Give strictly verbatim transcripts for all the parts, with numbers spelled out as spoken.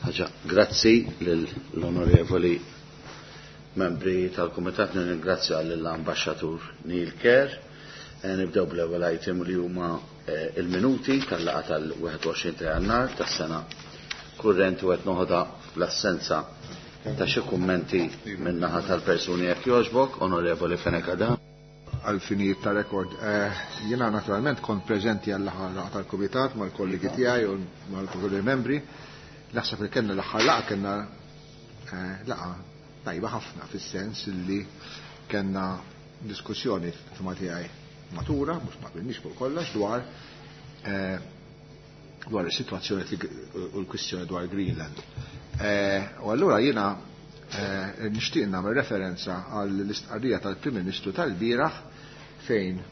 Ħaġa, grazzi lill-onorevoli membri tal-Kumitat, nirringrazzja lill-Ambaxxatur Neil Kerr. Eh, nibdew bl-ewwel item li huma eh, il-minuti tal-laqgħa tal-wieħed u għoxrin ta' Jannar tas-sena kurrenti u qed noħodha fl-assenza ta' xi kummenti min-naħa tal-persuni jekk jogħġbok, Onorevoli Fenech Adami. Għal-finijiet ta' rekord, eh, jiena naturalment kont preżenti għall-aħħar laqgħa tal-Kumitat mal-kollegi tiegħi u mal-kollegi membri. Naħseb li kellna l-aħħar laqgħa kellna, eh, laqgħa tajba ħafna fis-sens li kellna diskussjoni f'ma tiegħi matura, mhux ma qbilniex fuq kollox dwar, eh, dwar is-sitwazzjoni u l-kwistjoni dwar Greenland. Eh, u allura jiena, eh, nixtieq nagħmel referenza għall-istqarrija tal-Prim Ministru tal-bieraħ fejn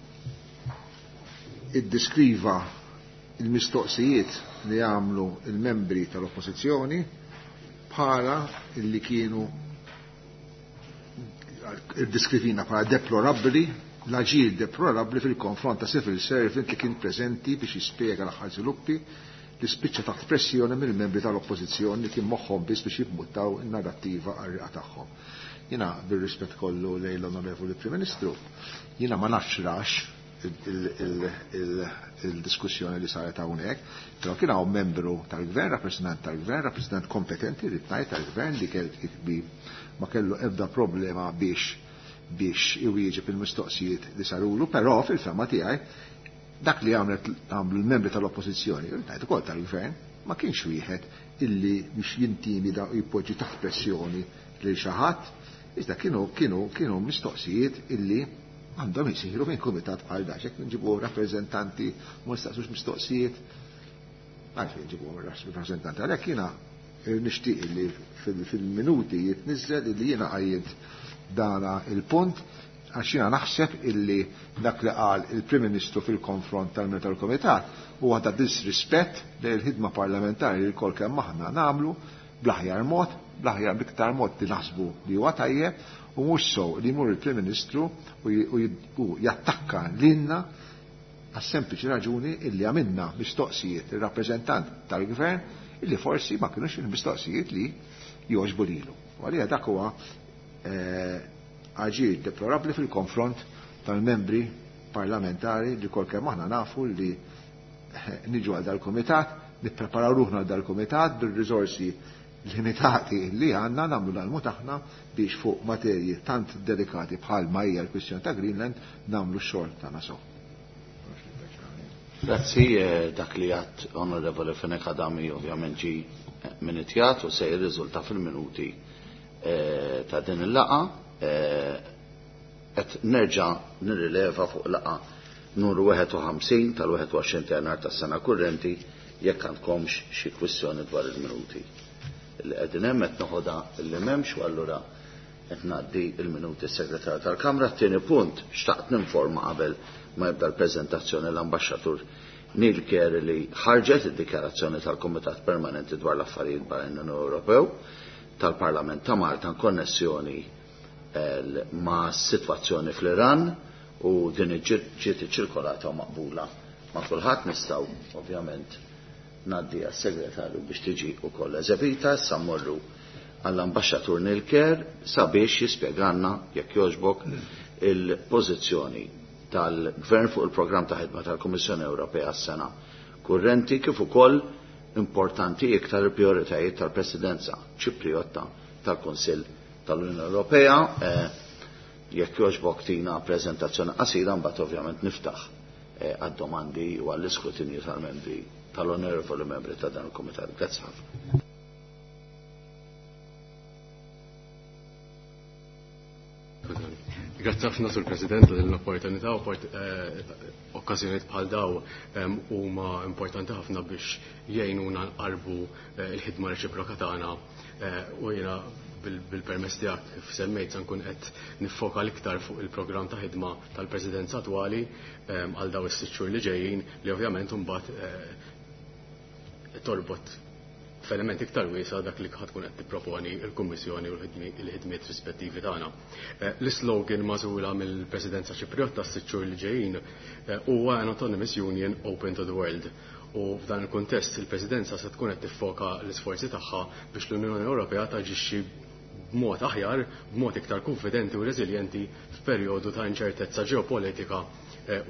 iddeskriva il-mistoqsijiet li għamlu il-membri tal-oppożizzjoni bħala illi kienu iddeskrivina bħala deplorabbli, l-aġir deplorabbli fil-konfront ta' civil servant li kien preżenti biex jispjega l-aħħar żviluppi li spiċċa taħt pressjoni mill-membri tal-oppożizzjoni li kien moħħhom biss biex jibmuttaw in-narrattiva għar-riqa tagħhom. Jiena bir-rispett kollu lejn l-Onorevoli Prim Ministru, jiena ma nafx rax il-diskussjoni li saret hawnhekk, però kien hawn membru tal-gvern, rappresentant tal-gvern, rappresentant kompetenti li tnajt tal-gvern li kell bi ma kellu ebda problema biex, biex iwieġeb il-mistoqsijiet li sarulu, però fil-fema tiegħi dak li għamlet għamlu l-membri tal-oppożizzjoni, ngħid ukoll tal-gvern, ma kienx wieħed illi biex jintimida u jpoġġi taħt pressjoni lil xi ħadd, iżda kienu, kienu, kienu mistoqsijiet illi għandhom isiru minn kumitat bħal dak, jekk nġibu rappreżentanti ma nistaqsux mistoqsijiet, għalfejn nġibu rappreżentanti. Għalhekk jiena nixtieq li fil-, fil-minuti jitniżżel illi jiena qajjimt dana il-punt, għax jiena naħseb illi dak li qal il-Prim Ministru fil-konfront tal-membri tal-Kumitat huwa ta' disrispett lejn il-ħidma parlamentari li l-kol kemm aħna nagħmlu bl-aħjar mod, bl-aħjar bl-iktar mod li naħsbu li huwa tajjeb, u mhux sew li jmur il-Prim Ministru u j-, u j-, u jattakka lilna għas-sempliċi raġuni illi għamilna mistoqsijiet ir-rappreżentant tal-Gvern illi forsi ma kinux il-mistoqsijiet li jogħġbu lilu. U għalija dak huwa, eh, aġir deplorabbli fil-konfront tal-membri parlamentari li kol kemm aħna nafu li niġu għal dal-kumitat, nippreparaw ruħna għal dal-kumitat bil-riżorsi limitati li għandna nagħmlu l-almu tagħna biex fuq materji tant delikati bħal ma hija l-kwistjoni ta' Greenland nagħmlu x-xogħol tagħna sew. Grazzi, eh, dak li għat Onorevoli Fenech Adami ovvjament ġi minitjat u se jirriżulta fil-minuti, eh, ta' din il-laqa. Eh, qed nerġa' nirrileva fuq laqa numru wieħed u ħamsin tal-wieħed u għoxrin ta' Jannar tas-sena kurrenti jekk għandkomx xi kwistjoni dwar il-minuti. Li qegħdin hemm qed noħodha li m'hemmx u allura qed ngħaddi il-minuti s-Segretarju tal-Kamra. Tieni punt, xtaqt ninforma qabel ma jibda l-preżentazzjoni l-Ambaxxatur Neil Kerr li ħarġet id-dikjarazzjoni tal-Kumitat Permanenti dwar l-Affarijiet Barranin Ewropew tal-Parlament ta' Malta konnessjoni ma' situazzjoni fl-Iran u din ġiet iċċirkolata u maqbula ma' kulħadd. Nistgħu ovvjament ngħaddi għas-segretarju biex tiġi wkoll eżebita. Issa mmorru għall-Ambaxxatur Neil Kerr sabiex jispjegalna jekk jogħġbok il-pożizzjoni tal-Gvern fuq il-programm ta' ħidma tal-Kummissjoni Ewropea għas-sena kurrenti kif ukoll importanti iktar il-prijoritajiet tal-Presidenza Ċipriotta tal-Kunsill tal-Unjoni Ewropea. Eh, jekk jogħġbok tina preżentazzjoni qasira, mbagħad ovvjament niftaħ, eh, għad-domandi u għall-iskrutinju tal-membri tal-onorevoli membri ta' dan il-Kumitat. Grazzi ħafna. Grazzi ħafna sur President l-opportunità u eh, okkażjonijiet bħal daw, ehm, huma importanti ħafna biex jgħinuna nqarbu, eh, il-ħidma reċiproka tagħna, eh, u jiena bil-, bil-permess tiegħek kif semmejt se nkun qed niffoka l-iktar fuq il-programm ta' ħidma tal-Presidenza attwali, ehm, għal daw is-sitt xhur li ġejjin li ovvjament imbagħad, eh, torbot f'element iktar wiesa' dak li ħadd tkun qed tipproponi l-Kummissjoni u l-ħidmi-, l-ħidmiet rispettivi tagħna. Eh, l-islogan magħżula mill-Presidenza Ċipriotta s-sitt xhur li ġejjin, eh, huwa an Autonomous Union Open to the World. U f'dan il-kuntest il-Presidenza se tkun qed tiffoka l-isforzi tagħha biex l-Unjoni Ewropea taġixxi b'mod aħjar, b'mod iktar konfidenti u reżiljenti f'perjodu ta' inċertezza ġeopolitika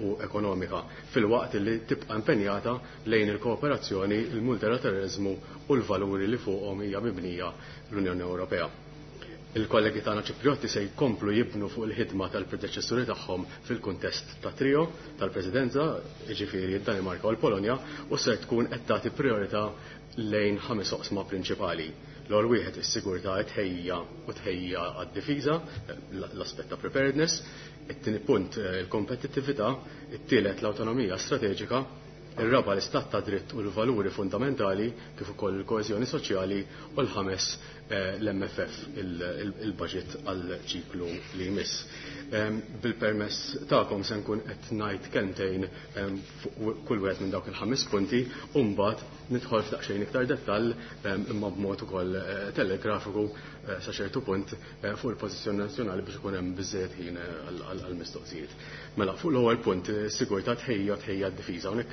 u ekonomika, filwaqt li tibqa' impenjata lejn il-kooperazzjoni, il-multilateralizmu u l-valuri li fuqhom hija mibnija l-Unjoni Ewropea. Il-kollegi tagħna Ċipriotti se jkomplu jibnu fuq il-ħidma tal-predeċessuri tagħhom fil-kuntest ta' trio tal-Presidenza, jiġifieri d-Danimarka u l-Polonja, u se tkun qed tagħti priorità lejn ħames oqsma prinċipali. L-ewwel wieħed is-sigurtà tħejja u tħejja għad-difiża, l-aspett ta' preparedness, it-tieni punt il-kompetittività, it-tielet l-awtonomija strateġika, ir-raba' l-istat ta' dritt u l-valuri fundamentali kif ukoll il-koeżjoni soċjali u l-ħames l-M F F, il-budget għal ċiklu li jmiss. Bil-permess tagħkom se nkun qed ngħid kelmtejn fuq kull wieħed minn dawk il-ħames punti u mbagħad nidħol f'daqsxejn iktar dettall imma b'mod ukoll telegrafiku sa ċertu punt fuq il-pożizzjoni nazzjonali biex ikun hemm biżżejjed ħin għall-mistoqsijiet. Mela, fuq l-ewwel punt, sigurtà tħejja tħejja d-difiża. Hawnhekk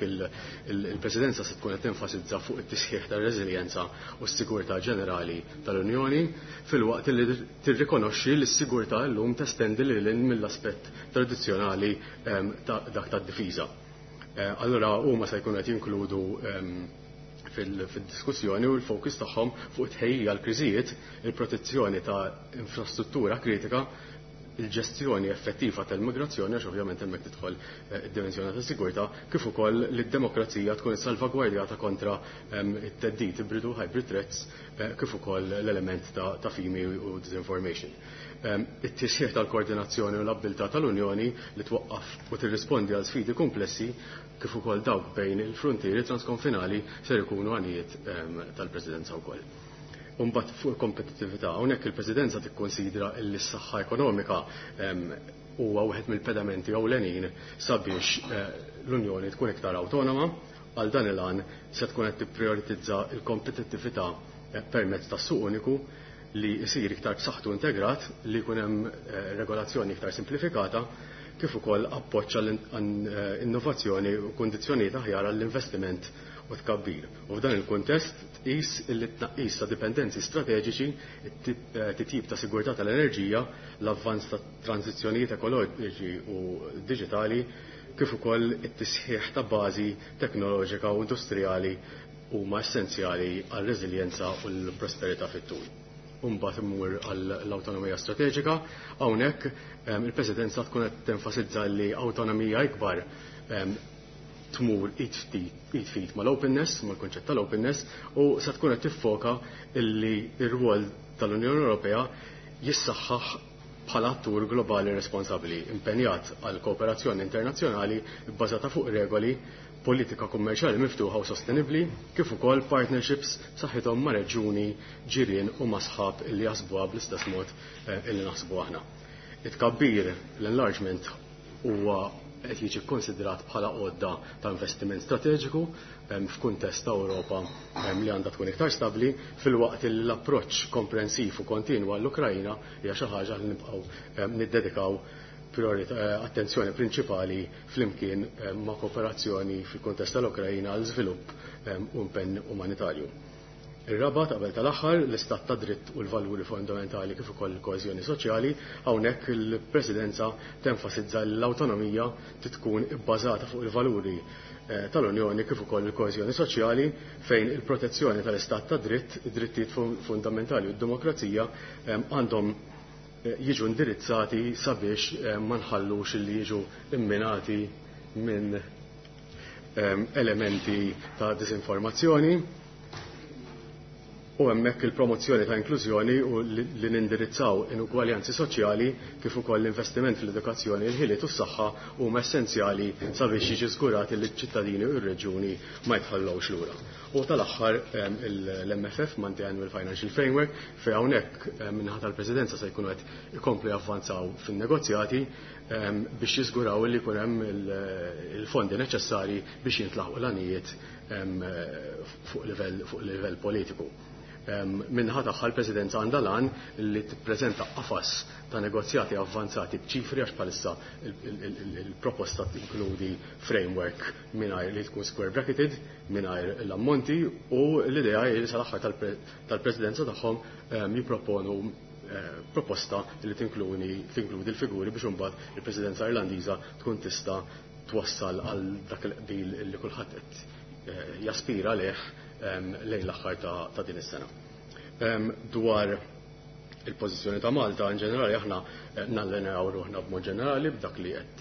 il-Presidenza se tkun qed tenfasizza fuq it-tisħiħ tar-reżiljenza u s-sigurtà ġenerali tal-Unjoni filwaqt li tirrikonoxxi li s-sigurtà llum testendi lil hinn mill-aspett tradizzjonali dak tad-difiża. Allura huma se jkunu qed jinkludu fil-diskussjoni u l-fokus tagħhom fuq it-tħejjija l-kriżijiet, il-protezzjoni ta' infrastruttura kritika, il-ġestjoni effettiva tal-migrazzjoni, għax ovvjament hemmhekk tidħol id-dimensjoni ta' sigurtà, kif ukoll li d-demokrazija tkun salvagwardjata kontra it-theddid ibridu hybrid threats, kif ukoll l-element ta' fimi u disinformation. It-tisħiħ tal-koordinazzjoni u l-abbiltà tal-Unjoni li twaqqaf u tirrispondi għal sfidi komplessi kif ukoll dawk bejn il-frontieri transkonfinali ser ikunu għanijiet tal-Presidenza wkoll. Imbagħad fuq il-kompetittività, hawnhekk il-Presidenza tikkonsidra li s-saħħa ekonomika huwa wieħed mill-pedamenti ewlenin sabiex l-Unjoni tkun iktar awtonoma. Għal dan il-għan se tkun qed tipprioritizza l-kompetittività permezz tas-suq uniku li jsir iktar b'saħħtu integrat, li jkun hemm regolazzjoni iktar simplifikata, kif ukoll appoġġ għall-innovazzjoni u kundizzjonijiet aħjar għall-investiment u tkabbir. U f'dan il-kuntest tqis li tnaqqis ta' dipendenzi strateġiċi, titjib ta' sigurtà tal-enerġija, l-avvanz ta' tranzizzjonijiet ekoloġiċi u diġitali, kif ukoll it-tisħiħ ta' bażi teknoloġika u industrijali huma essenzjali għar-reżiljenza u l-prosperità fit-tul. Imbagħad immur għall-awtonomija strateġika, hawnhekk il-Presidenza tkun qed tenfasizza li awtonomija ikbar tmur id fit mal-openness, mal-konċett tal-openness, u se tkun qed tiffoka illi r-rwol tal-Unjoni Ewropea jissaħħaħ bħala attur globali responsabbli, impenjat għal kooperazzjoni internazzjonali bbażata fuq regoli, politika kummerċjali miftuħa u sostenibbli, kif ukoll partnerships b'saħħithom ma' reġjuni ġirien u ma' sħab illi jaħsbuha bl-istess mod illi naħsbu aħna. It-tkabbir, l-enlargement, huwa qed jiġi kkonsidrat bħala għodda ta' investiment strateġiku f'kuntest ta' Ewropa li għandha tkun iktar stabbli, filwaqt li l-approċċ komprensiv u kontinwu għall-Ukrajna hija xi ħaġa li nibqgħu niddedikaw attenzjoni prinċipali flimkien ma' kooperazzjoni fil-kuntest tal-Ukrajna għal żvilupp u impenn umanitarju. Ir-raba' qabel tal-aħħar, l-istat ta' dritt u l-valuri fondamentali kif ukoll il-koeżjoni soċjali, hawnhekk il-Presidenza tenfasizza l-awtonomija tkun ibbażata fuq il-valuri tal-Unjoni kif ukoll il-koeżjoni soċjali, fejn il-protezzjoni tal-istat ta' dritt, id-drittijiet fundamentali u d-demokrazija għandhom jiġu indirizzati sabiex ma nħallux li jiġu imminati minn elementi ta' disinformazzjoni. U hemmhekk il-promozzjoni ta' inklużjoni u li nindirizzaw inugwaljanzi soċjali kif ukoll l-investiment fl-edukazzjoni, il-ħiliet u s-saħħa huma essenzjali sabiex jiġi żgurat li ċ-ċittadini u r-reġjuni ma jitħallewx lura. U tal-aħħar l-M F F, Multi-Annual Financial Framework, fejn hawnhekk minnaħa tal-Presidenza se jkunu qed ikomplu javvanzaw fin-negozjati biex jiżguraw li jkun hemm il-fondi neċessarji biex jintlaħqu l-għanijiet fuq livell fuq livell politiku. Min-naħa tagħha l-Presidenza għandha lan li tippreżenta qafas ta' negozjati avvanzati b'ċifri, għax bħalissa il-proposta tinkludi framework mingħajr li tkun square bracketed, mingħajr l-ammonti, u l-idea hi li sal-aħħar tal-Presidenza tagħhom jipproponu proposta li tinkludi l-figuri biex imbagħad il-Presidenza Irlandiża tkun tista' twassal għal dak il-qbil li kulħadd qed jaspira leh lejn l-aħħar ta' din is-sena. Dwar il-pożizzjoni ta' Malta in ġenerali, aħna nallinjaw ruħna b'mod ġenerali b'dak li qed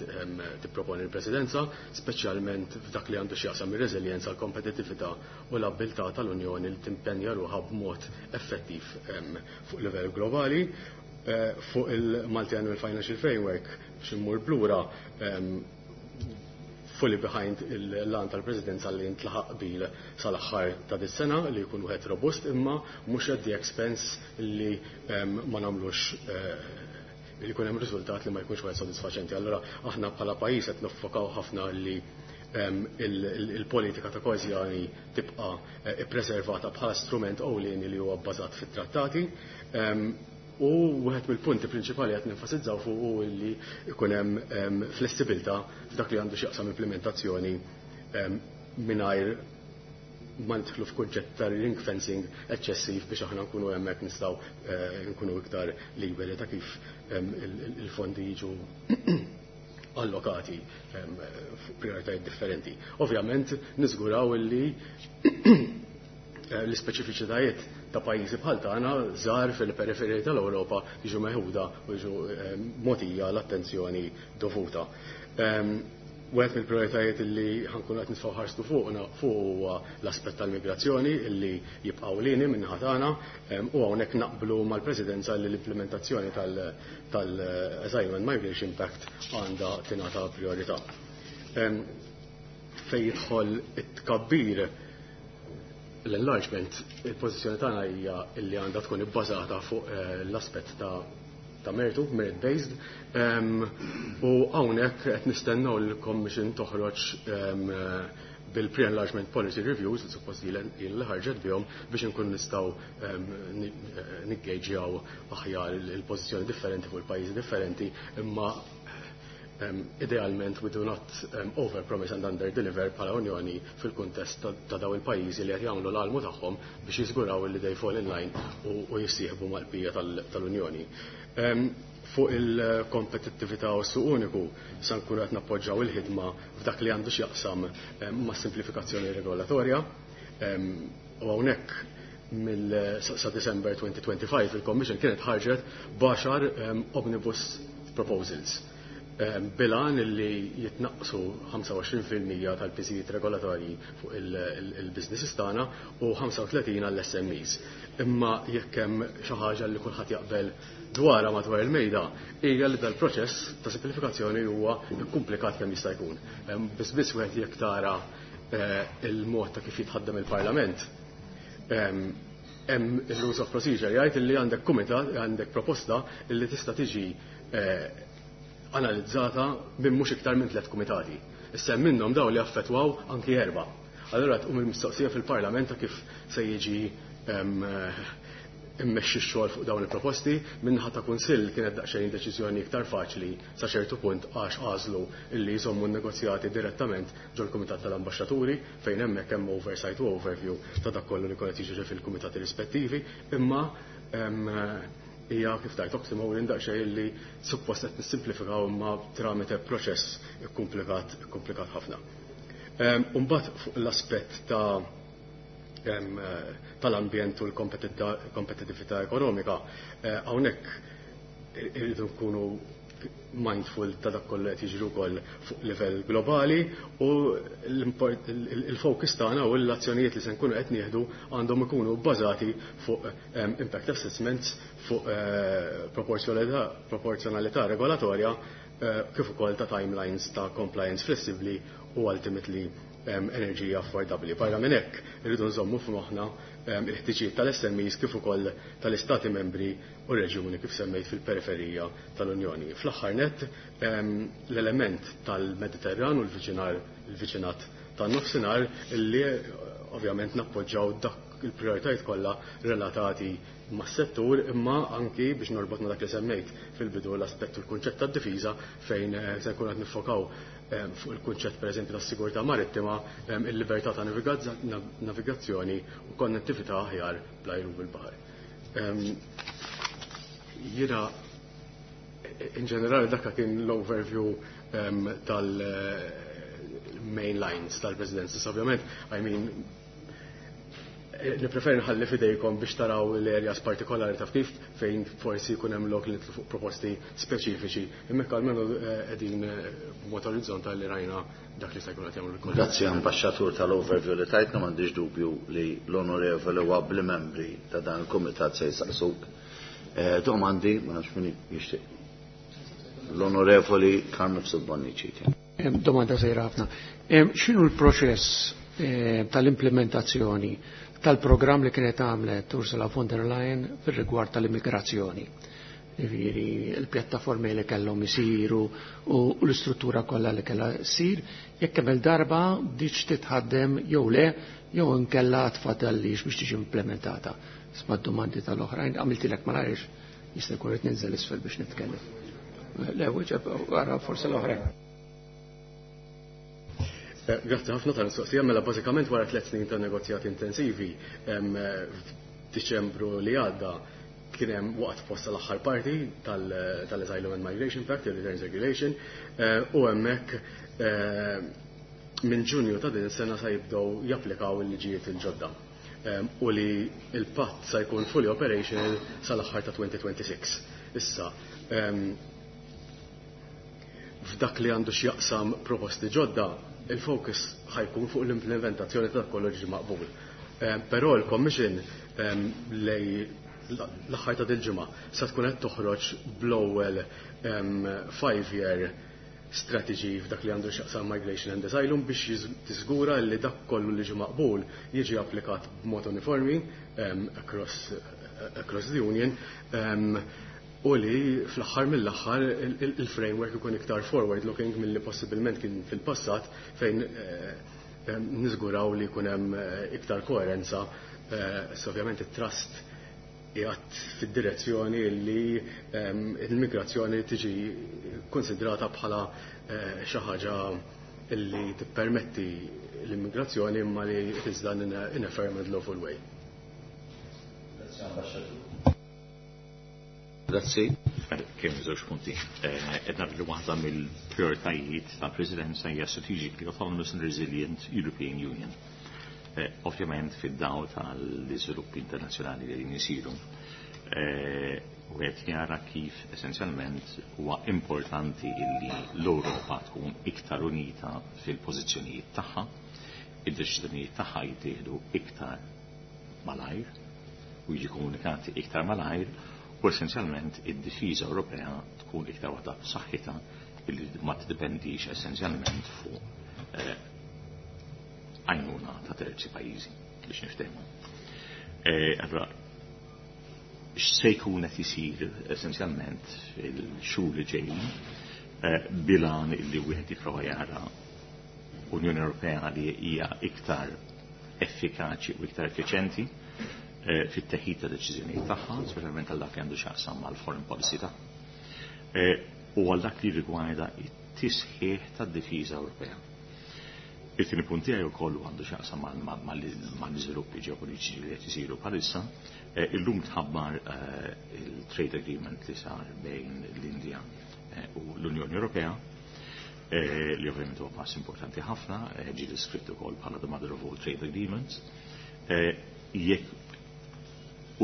tipproponi l-Presidenza, speċjalment f'dak li għandu x'jaqsam ir-reżiljenza, l-kompetittività u l-abbiltà tal-Unjoni li timpenja ruħha b'mod effettiv fuq livell globali. Fuq il-Multi-Annual Financial Framework, biex immur blura, fully behind il-lan tal-Presidenza li ntlaħaq qbil sal-aħħar ta' dis-sena li jkun wieħed robust, imma mhux at the expense li ma nagħmlux li jkun hemm riżultat li ma jkunx wieħed sodisfaċenti. Allura aħna bħala pajjiż qed niffokaw ħafna li il-politika ta' koeżjoni tibqa' ippreservata bħala strument ewlieni li huwa bbażat fit-trattati. U wieħed mill-punti prinċipali qed nenfasizzaw fuq hu li jkun hemm flessibilità f'dak li għandu x'jaqsam implementazzjoni mingħajr ma nidħlu f'kunċett ta' ring fencing eċċessiv, biex aħna nkunu hemmhekk nistgħu nkunu iktar liberi ta' kif il-fondi jiġu allokati fuq prioritajiet differenti. Ovvjament niżguraw illi l-ispeċifiċitajiet ta' pajjiżi bħal tagħna żgħar fil-periferiji tal-Ewropa jiġu meħuda u jiġu mogħtija l-attenzjoni dovuta. Wieħed mill-prioritajiet li ħankunu qed nitfgħu ħarstu fuqna fuq huwa l-aspett tal-migrazzjoni illi jibqgħu lini min-naħa tagħna, u hawnhekk naqblu mal-Presidenza li l-implementazzjoni tal-Asylum and Migration Pact għandha tingħata priorità. Fejn jidħol it-tkabbir, l-enlargement, il-pożizzjoni tagħna hija li għandha tkun ibbażata fuq l-aspett ta' ta' mertu, merit-based, u hawnhekk qed nistennew li l-Commission toħroġ bil-pre-enlargement policy reviews, li suppost li ħarġet bihom, biex inkun nistgħu niggeġjaw aħjar il-pożizzjoni differenti fuq il-pajjiżi differenti, imma idealment we do not over-promise and under-deliver bħala Unjoni fil-kuntest ta' daw il-pajjiżi li qed jagħmlu l-almu tagħhom biex jiżguraw li they fall in line u jissieħbu mal-bqija tal-Unjoni. Fuq il-kompetittività u s-suq uniku, sa nkunu qed nappoġġaw il-ħidma f'dak li għandu x'jaqsam ma' simplifikazzjoni regolatorja. U hawnhekk mill sa December twenty twenty-five il-Commission kienet ħarġet b'għaxar omnibus proposals bil-għan li jitnaqsu ħamsa u għoxrin fil-mija tal-piżijiet regolatorji fuq il-businesses tagħna u ħamsa u tletin għall-S M Es. Imma jekk hemm xi ħaġa li kulħadd jaqbel dwarha madwar il-mejda, hija li dal-proċess ta' simplifikazzjoni huwa komplikat kemm jista' jkun. Biss biss wieħed jekk tara il-mod ta' kif jitħaddem il-Parlament, hemm il-rules of procedure jgħid li għandek kumitat, għandek proposta li tista' tiġi analizzata minn mhux iktar minn tliet kumitati. Issa minnhom daw li affettwaw anki erba'. Allura tqum il-mistoqsija fil-Parlament ta' kif se jiġi immexxi x-xogħol fuq dawn il-proposti. Min-naħa ta' Kunsill kienet daqsxejn deċiżjoni iktar faċli sa ċertu punt, għax għażlu illi jżommu n-negozjati direttament ġol-Kumitat tal-Ambaxxaturi, fejn hemmhekk hemm oversight u overview ta' dak kollu li kienet jiġri fil-kumitati rispettivi, imma hija kif tajt oxymoron daqsxejn li suppost qed nissimplifikaw imma tramite proċess komplikat komplikat ħafna. Imbagħad fuq l-aspett ta' tal-ambjent u l-kompetitività ekonomika, hawnhekk irridu nkunu mindful ta' dak kollu qed jiġri wkoll fuq livell globali, u l-focus tagħna u l-azzjonijiet li se nkunu qed nieħdu għandhom ikunu bbażati fuq impact assessments, fuq proporzjonalità regolatorja, kif ukoll ta' timelines ta' compliance flessibbli u ultimately enerġija affordabbli. Barra minn hekk, irridu nżommu f'moħħna il-ħtiġijiet tal-S M Es kif ukoll tal-Istati membri u reġjuni kif semmejt fil-periferija tal-Unjoni. Fl-aħħar net, l-element tal-Mediterran u l-viċinar il-viċinat tan-nofsinhar, illi ovvjament nappoġġaw dak il-prijoritajiet kollha relatati mas-settur, imma anki biex norbot ma' dak li semmejt fil-bidu, l-aspett u l-kunċett tad-difiża, fejn eh, se nkun qed niffokaw eh, fuq il-kunċett, pereżempju, tas-sigurtà marittima, eh, il-libertà ta' navigazzjoni u konnettività aħjar bl-ajru bil-baħar. Jiena in ġenerali dakka kien l-overview tal- main lines tal-presidenza. Ovvjament, I mean, nipreferi nħalli fidejkom biex taraw l-areas partikolari ta' kif fejn forsi jkun hemm lok li fuq proposti speċifiċi. Imma almenu qegħdin b'mod orizzontali li rajna dak li se jkun qed jagħmlu l Grazzi, ambasċatur, tal-overview li tajtna. M'għandix dubju li l-onorevoli u abbli membri ta' dan il-kumitat se jsaqsuk. Eh, domandi, ma nafx min jixtieq. L-onorevoli Carm Mifsud Bonnici. Domanda żgħira ħafna. X'inhu l-proċess eh, tal-implementazzjoni tal-programm li kienet għamlet Ursula von der Leyen fil-rigward tal-immigrazzjoni? Jiġifieri il-pjattaformi li kellhom isiru u l-istruttura kollha li kellha ssir, jekk kemm il-darba bdietx titħaddem jew le, jew inkella tfadallix biex tiġi implementata. Isma' domandi tal-oħrajn, għamiltilek malajr, jista' jkun qed ninżel isfel biex nitkellem. Le, wieġeb wara forsi l-oħrajn. Eh, grazzi ħafna tal-mistoqsija. Mela bażikament wara tliet snin ta' negozjati intensivi, f'Diċembru li għadda kien hemm waqt posta l-aħħar parti tal-Asylum and Migration Pact, il-Returns Regulation, eh, u hemmhekk eh, minn Ġunju ta' din sena sa jibdew japplikaw il-liġijiet il-ġodda u li il-patt sa jkun fully operational sal-aħħar ta' elfejn u sitta u għoxrin. Issa, f'dak li għandu x'jaqsam proposti ġodda, il-focus ħa jkun fuq l-implementazzjoni ta' kollu ġi maqbul. Però l-Commission lejn l-aħħar ta' dil-ġimgħa sa tkun qed toħroġ bl-ewwel five-year strategy f'dak li għandu x'jaqsam migration and asylum biex tiżgura li dak kollu li ġi maqbul jiġi applikat b'mod uniformi across, across the Union um, u li fl-aħħar mill-aħħar il-framework ikun iktar forward looking milli possibilment kien fil-passat, fejn eh, niżguraw li jkun hemm eh, iktar koerenza. eh, ovvjament it-trust qiegħed fid-direzzjoni li l-migrazzjoni tiġi konsidrata bħala xi ħaġa illi tippermetti l-immigrazzjoni imma li it is done in a, in a fair and lawful way. Grazzi. Kien żewġ punti. Edna li waħda mill-prioritajiet tal-Presidenza hija Strategically Autonomous and Resilient European Union. Eh, ovvjament fid-dawl tal-iżviluppi internazzjonali li jisiru, eh, u qed jara kif essenzjalment huwa importanti illi l-Ewropa tkun iktar unita fil-pożizzjonijiet tagħha, id-deċiżjonijiet tagħha jittieħdu iktar malajr u jiġi komunikati iktar malajr u essenzjalment id-difiża Ewropea tkun iktar waħda b'saħħitha illi ma tiddependix essenzjalment fuq eh, għajnuna ta' terzi pajjiżi, biex niftehmu. Eh, allora, x'se jkun qed isir essenzjalment fil-xhur li ġejjin eh, bil-għan illi wieħed jipprova jara Unjoni Ewropea li hija iktar effikaċi u iktar effiċenti eh, fit-teħid ta' deċiżjonijiet tagħha, speċjalment għal dak li għandu x'jaqsam mal-foreign policy tagħha, U għal dak li rigwarda it-tisħiħ tad-difiża Ewropea. Il-tieni punt tiegħi wkoll għandu x'jaqsam mal-iżviluppi ġeopolitiċi li qed isiru bħalissa. Eh, illum tħabbar eh, il-trade agreement li sar bejn l-Indja eh, u l-Unjoni Ewropea, li ovvjament huwa pass importanti ħafna, ġi deskritt ukoll bħala the mother of all trade agreements. Jekk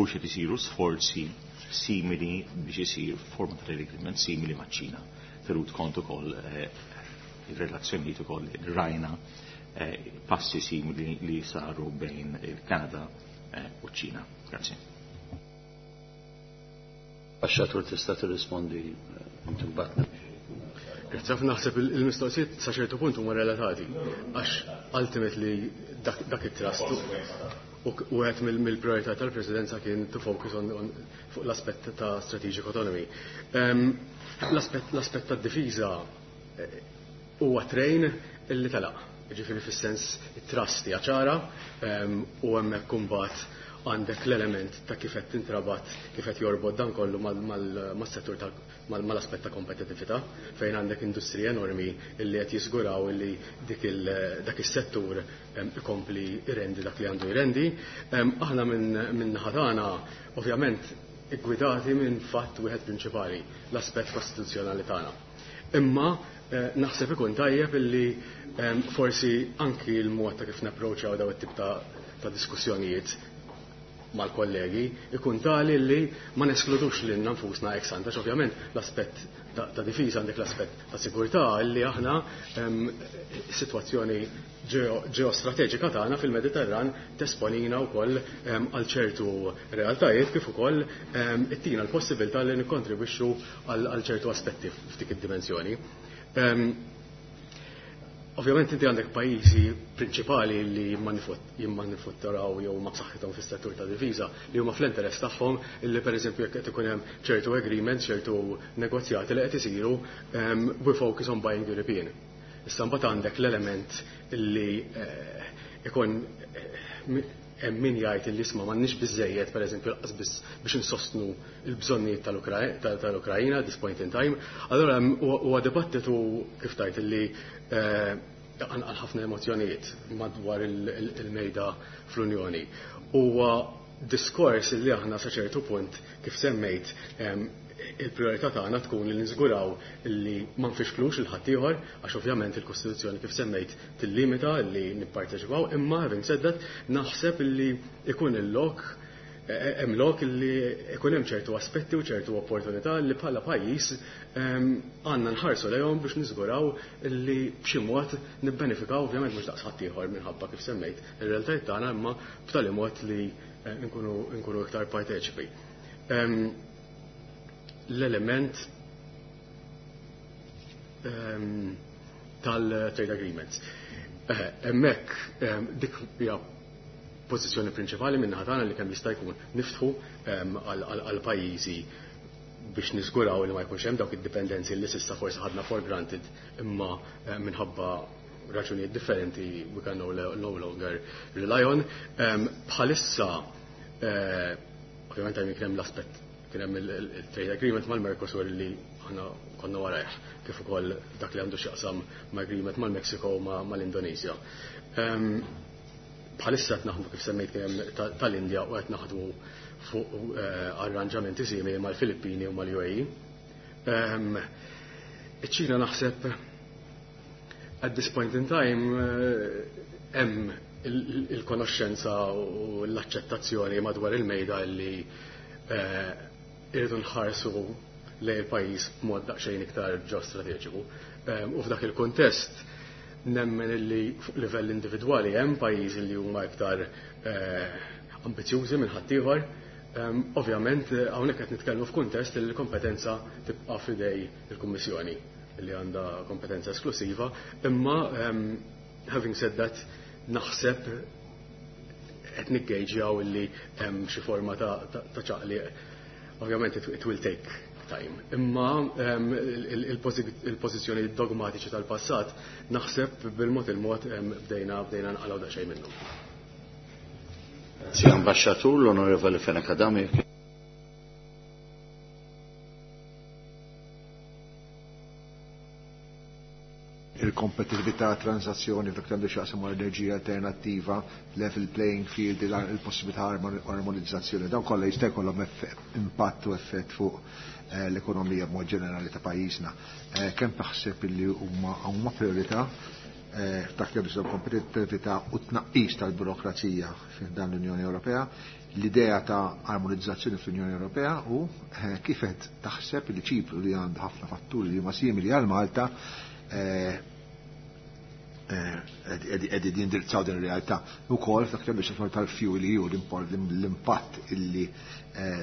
u xed isiru sforzi simili biex isir forma ta' trade agreement simili maċ-Ċina. Tenut kont ukoll il-relazzjonijiet ukoll rajna eh, passi simili li saru bejn il-Kanada eh, u ċ-Ċina. Grazie. Ambaxxatur, tista' tirrispondi eh, inti mbagħad. Grazzi ħafna. Naħseb il-mistoqsijiet sa ċertu punt huma relatati għax ultimately dak it-trust u wieħed mill-priorità tal-Presidenza kien to focus on, on fuq l-aspett ta' strategic autonomy. Um, l-aspett tad-difiża huwa train illi telaq. Ġifieri fis-sens it-trust hija ċara u hemmhekk imbagħad għandek l-element ta' kif qed tintrabat, kif qed jorbot dan kollu mas-settur mal-aspett ta' kompetitività, fejn għandek industriji enormi illi qed jiżguraw illi dik dak is-settur ikompli jrendi dak li għandu jrendi. Aħna minn naħa tagħna ovvjament iggwidati minn fatt wieħed prinċipali, l-aspett kostituzzjonali tagħna. Imma naħseb ikun tajjeb illi forsi anki l-mod ta' kif napproċċjaw daw it-tip ta' diskussjonijiet mal-kollegi ikun tali li ma neskludux lilna nfusna ex ante, ovvjament l-aspett ta' difiża għandek l-aspett ta' sigurtà li aħna situazzjoni ġeostrateġika tagħna fil-Mediterran tesponina wkoll għal ċertu realtajiet kif ukoll ittina l-possibilità li nikkontribwixxu għal ċertu aspetti f'dik id-dimensjoni. Ovvjament inti għandek pajjiżi prinċipali li jimmanifatturaw jew ma b'saħħithom fis-settur ta' difiża li huma fl-interess tagħhom illi pereżempju jekk qed ikun hemm ċertu agreements, ċertu negozjati li qed isiru we focus on buying European. Issa mbagħad għandek l-element illi ikun hemm min jgħid illi isma' m'għandniex biżejjed pereżempju lanqas biss biex insostnu l-bżonnijiet tal-Ukrajna at this point in time. Allura huwa dibattitu kif tajt illi għal ħafna emozjonijiet madwar il-mejda fl-Unjoni. Huwa diskors li aħna sa ċertu punt kif semmejt il-priorità tagħna tkun li niżguraw li ma nfixklux il ħaddieħor għax ovvjament il-Kostituzzjoni kif semmejt tillimita li nipparteċipaw, imma having said that naħseb li ikun il-lok hemm lok li ikun hemm ċertu aspetti u ċertu opportunità li bħala pajjiż għandna nħarsu lejhom biex niżguraw li b'xi mod nibbenefikaw ovvjament mhux daqs ħaddieħor minħabba kif semmejt ir-realtajiet tagħna imma b'tali mod li nkunu nkunu iktar parteċipi. L-element tal-trade agreements. Hemmhekk dik hija pożizzjoni prinċipali minn naħa tagħna li kemm jista' jkun niftħu għal pajjiżi biex niżguraw li ma jkunx hemm dawk id-dipendenzi li s'issa forsi ħadna for granted imma minħabba raġunijiet differenti we can no, no longer rely on. Bħalissa ovvjament hemm kien hemm l-aspett kien hemm il-trade agreement mal-Mercosur li aħna konna warajh kif ukoll dak li għandu x'jaqsam ma' agreement mal-Mexico u mal-Indonesia. Bħalissa qed naħdmu kif semmejt kien hemm tal-Indja u qed naħdmu fuq arranġamenti simili mal-Filippini u mal-U A E. Iċ-Ċina naħseb at this point in time hemm il-konoxxenza u l-aċċettazzjoni madwar il-mejda li irridu nħarsu lejn il-pajjiż b'mod daqsxejn iktar ġeostrateġiku. U f'dak il-kuntest nemmen illi fuq livell individwali hemm pajjiżi li huma iktar ambizjużi minn ħaddieħor. Ovvjament hawnhekk qed nitkellmu f'kuntest li l-kompetenza tibqa' f'idej il-Kummissjoni li għandha kompetenza esklusiva, imma having said that naħseb qed niggejġjaw illi hemm xi forma ta' ċaqliq. Ovvjament it will take time. Imma il-pożizzjoni dogmatiċi tal-passat naħseb bil-mod il-mod bdejna bdejna nqalgħu daqsxejn minnhom. Grazie Ambasciatur, l-Onorevole Fenech Adami. Il-kompetitività, transazzjoni f'dak għandu x'jaqsam enerġija alternattiva, level playing field, il-possibilità armonizzazzjoni, dawn kollha jista' jkollhom impatt u effett fuq l-ekonomija b'mod ġenerali ta' pajjiżna. Kemm taħseb illi huma huma priorità f'dak li għandu kompetitività u tnaqqis tal-burokrazija f'dan l-Unjoni Ewropea, l-idea ta' armonizzazzjoni fl-Unjoni Ewropea u kif qed taħseb li Ċipru li għandu ħafna fatturi li huma simili għal Malta qegħdin jindirizzaw din ir-realtà. Ukoll f'dak li għandu tal-fuel E U l-impatt illi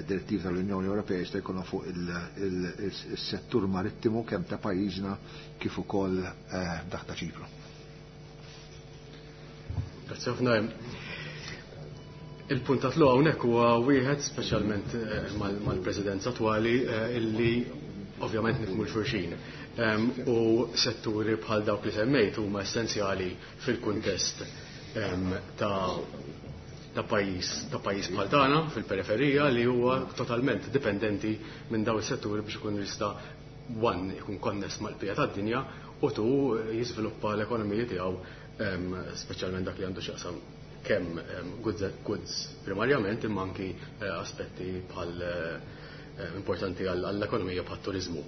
direttiva tal-Unjoni Ewropea jista' jkollha fuq il-settur marittimu kemm ta' pajjiżna kif ukoll dak ta' Ċipru. Grazie ħafna. Il-punt ta' tluq hawnhekk huwa wieħed speċjalment mal-Presidenza attwali illi Ovvjament nifhmu 'l xulxin. U setturi bħal dawk li semmejt huma essenzjali fil-kuntest ta' ta' pajjiż ta' pajjiż bħal tagħna fil-periferija li huwa totalment dipendenti minn dawn is-setturi biex ikun jista' one ikun konness mal-bqija tad-dinja u two jiżviluppa l-ekonomija tiegħu, speċjalment dak li għandu x'jaqsam kemm goods, goods primarjament, imma anki eh, aspetti bħal eh, importanti għall-ekonomija bħal turizmu.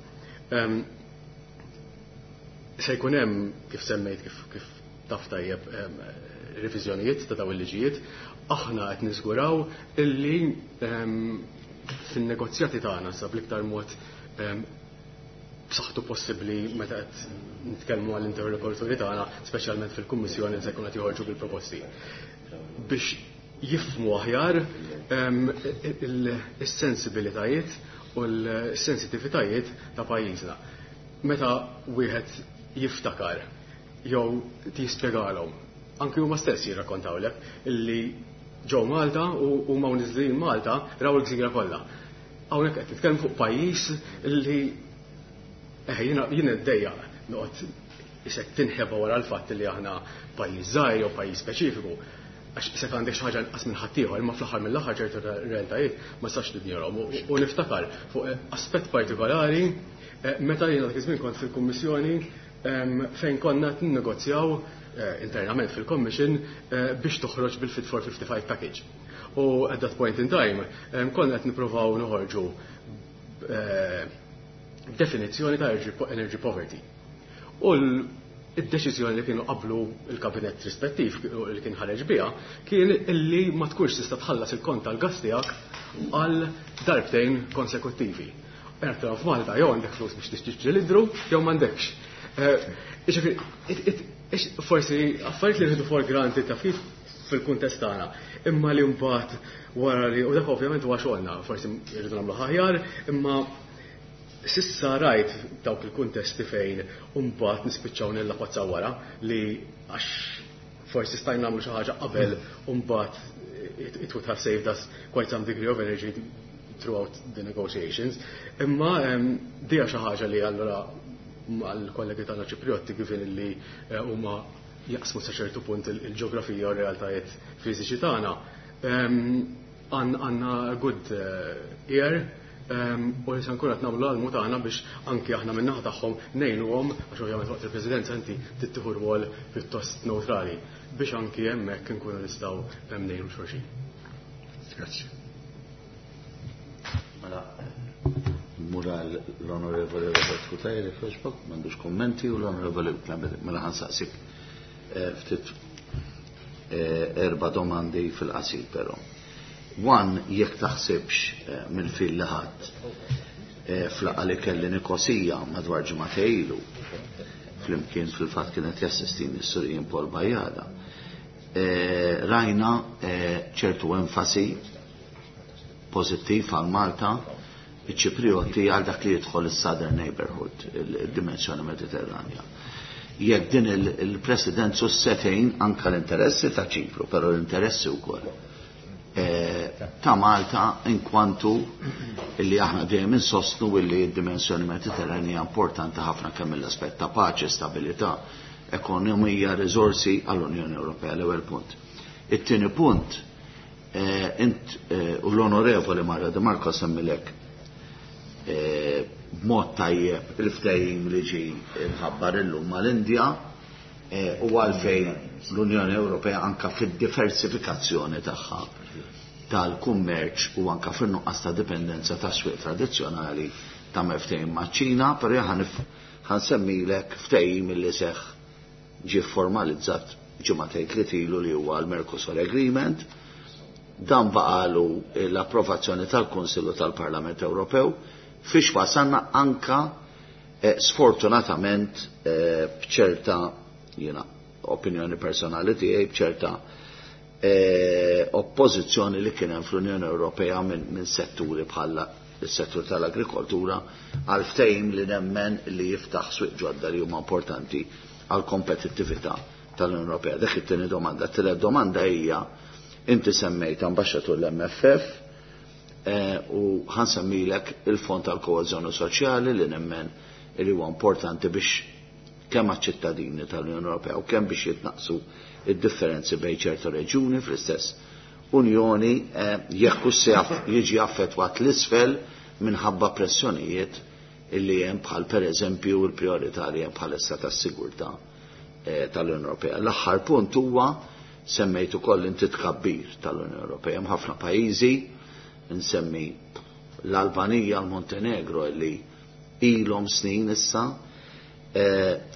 Se jkun hemm, kif semmejt, kif, kif taf tajjeb, reviżjonijiet ta' dawn il-liġijiet. Aħna qed niżguraw illi fin-negozjati tagħna sa bl-iktar mod b'saħħtu possibbli meta qed nitkellmu għall-interlokuturi tagħna, speċjalment fil-Kummissjoni se jkun qed joħorġu bil-proposti, biex jifhmu aħjar is-sensibilitajiet u l-sensitivitajiet ta' pajjiżna. Meta wieħed jiftakar jew tispjegalhom, anki huma stess jirrakkontawlek illi ġew Malta u huma niżlin Malta raw il-gżira kollha. Hawnhekk qed nitkellmu fuq pajjiż illi eh jiena jien iddejjaq noqgħod isek tinħeba wara l-fatt li aħna pajjiż żgħir jew pajjiż speċifiku, għax isek għandek xi ħaġa inqas minn ħaddieħor, imma fl-aħħar mill-aħħar ċertu realtajiet ma tistax tinjorahom. U niftakar fuq aspett partikolari meta jiena dak iż-żmien kont fil-Kummissjoni, fejn konna ninnegozjaw internament fil-Commission biex toħroġ bil-Fit for fifty-five package. U at that point in time konna qed nippruvaw noħorġu definizzjoni ta' energy poverty. U id-deċiżjoni li kienu qablu il-kabinet rispettiv li kien ħareġ biha kien illi ma tkunx tista' tħallas il-kont tal-gas tiegħek għal darbtejn konsekuttivi. Erta f'Malta jew għandek flus biex tixtri ċilindru jew m'għandekx. Forsi affarijiet li rridu for granted ta' kif fil-kuntest tagħna, imma li mbagħad wara li, u dak ovvjament huwa xogħolna, forsi rridu nagħmlu aħjar, imma sissa rajt dawk il-kuntesti fejn mbagħad nispiċċaw nillapazzaw wara li għax forsi stajna nagħmlu xi ħaġa qabel u mbagħad it would have saved us quite some degree of energy throughout the negotiations. Imma dija xi ħaġa li allura għall-kollegi tagħna Ċipriotti, given li huma jaqsmu sa ċertu punt il-ġeografija u r-realtajiet fiżiċi tagħna, għandna good ear u li se nkun qed nagħmlu l-almu tagħna biex anki aħna min-naħa tagħhom ngħinuhom, għax ovvjament waqt il-Presidenza inti tittieħu rwol pjuttost neutrali, biex anki hemmhekk inkunu nistgħu ngħinu xulxin. Grazzi. Mela, mura l-Onorevoli Robert Cutajar, Facebook, m'għandux kommenti, u l-Onorevoli, mela ħa nsaqsik ftit erba' domandi fil-qasir però. One, jekk taħsibx mill-fil li ħadd fl-laqgħa li kelli Nikosija madwar ġimgħatejn ilu, flimkien fil-fatt kienet jassistini s-Sur Ian Paul Bajada, rajna ċertu enfasi pożittiv għal Malta, iċ-Ċiprioti, għal dak li jidħol is-Southern Neighborhood, il-dimensjoni Mediterranja. Jekk din il-Presidenza setejn anka l-interessi ta' Ċipru, però l-interessi wkoll ta' Malta, inkwantu illi aħna dejjem insostnu illi d-dimensjoni Mediterranja importanti ħafna kemm mill-aspett ta' paċi, stabilità, ekonomija, riżorsi għall-Unjoni Ewropea, l-ewwel punt. It-tieni punt, int u l-Onorevoli Mario De Marco semmilek b'mod tajjeb il-ftehim li ġie mħabbar illum mal-Indja u għalfejn l-Unjoni Ewropea anka fid-diversifikazzjoni tagħha tal-kummerċ u anka fin-nuqqas ta' dipendenza ta' swieq tradizzjonali ta' ftehim maċ-Ċina, però ħa nsemmilek ftehim li seħħ, ġie formalizzat ġimagħtejn tliet ilu, li huwa l-Mercosur Agreement. Dan baqalu l-approvazzjoni tal-Kunsillu tal-Parlament Ewropew, fiex wasanna anka sfortunatament bċerta, jiena opinjoni personali tiegħi, bċerta oppożizzjoni li kien hemm fl-Unjoni Ewropea minn setturi bħala is-settur tal-agrikoltura għal ftehim li nemmen li jiftaħ swieq ġodda li huma importanti għal kompetittività tal-Unjoni Ewropea. Dik it-tieni domanda. Tielet domanda hija, inti semmejt, Ambaxxatur, l-M F F. U ħa nsemmilek il-Fond tal-Koeżjoni Soċjali li nemmen li huwa importanti biex kemm għaċ-ċittadini tal-Unjoni Ewropea u kemm biex jitnaqsu id-differenzi bejn ċertu reġjuni fl-istess Unjoni, jekk se jiġi affettwat l-isfel minħabba pressjonijiet illi hemm bħal pereżempju l-prijorità li hemm bħalissa tas-sigurtà tal-Unjoni Ewropea. L-aħħar punt huwa semmejt ukoll inti tkabbir tal-Unjoni Ewropea. Hemm ħafna pajjiżi, nsemmi l-Albanija, l-Montenegro illi ilhom snin issa.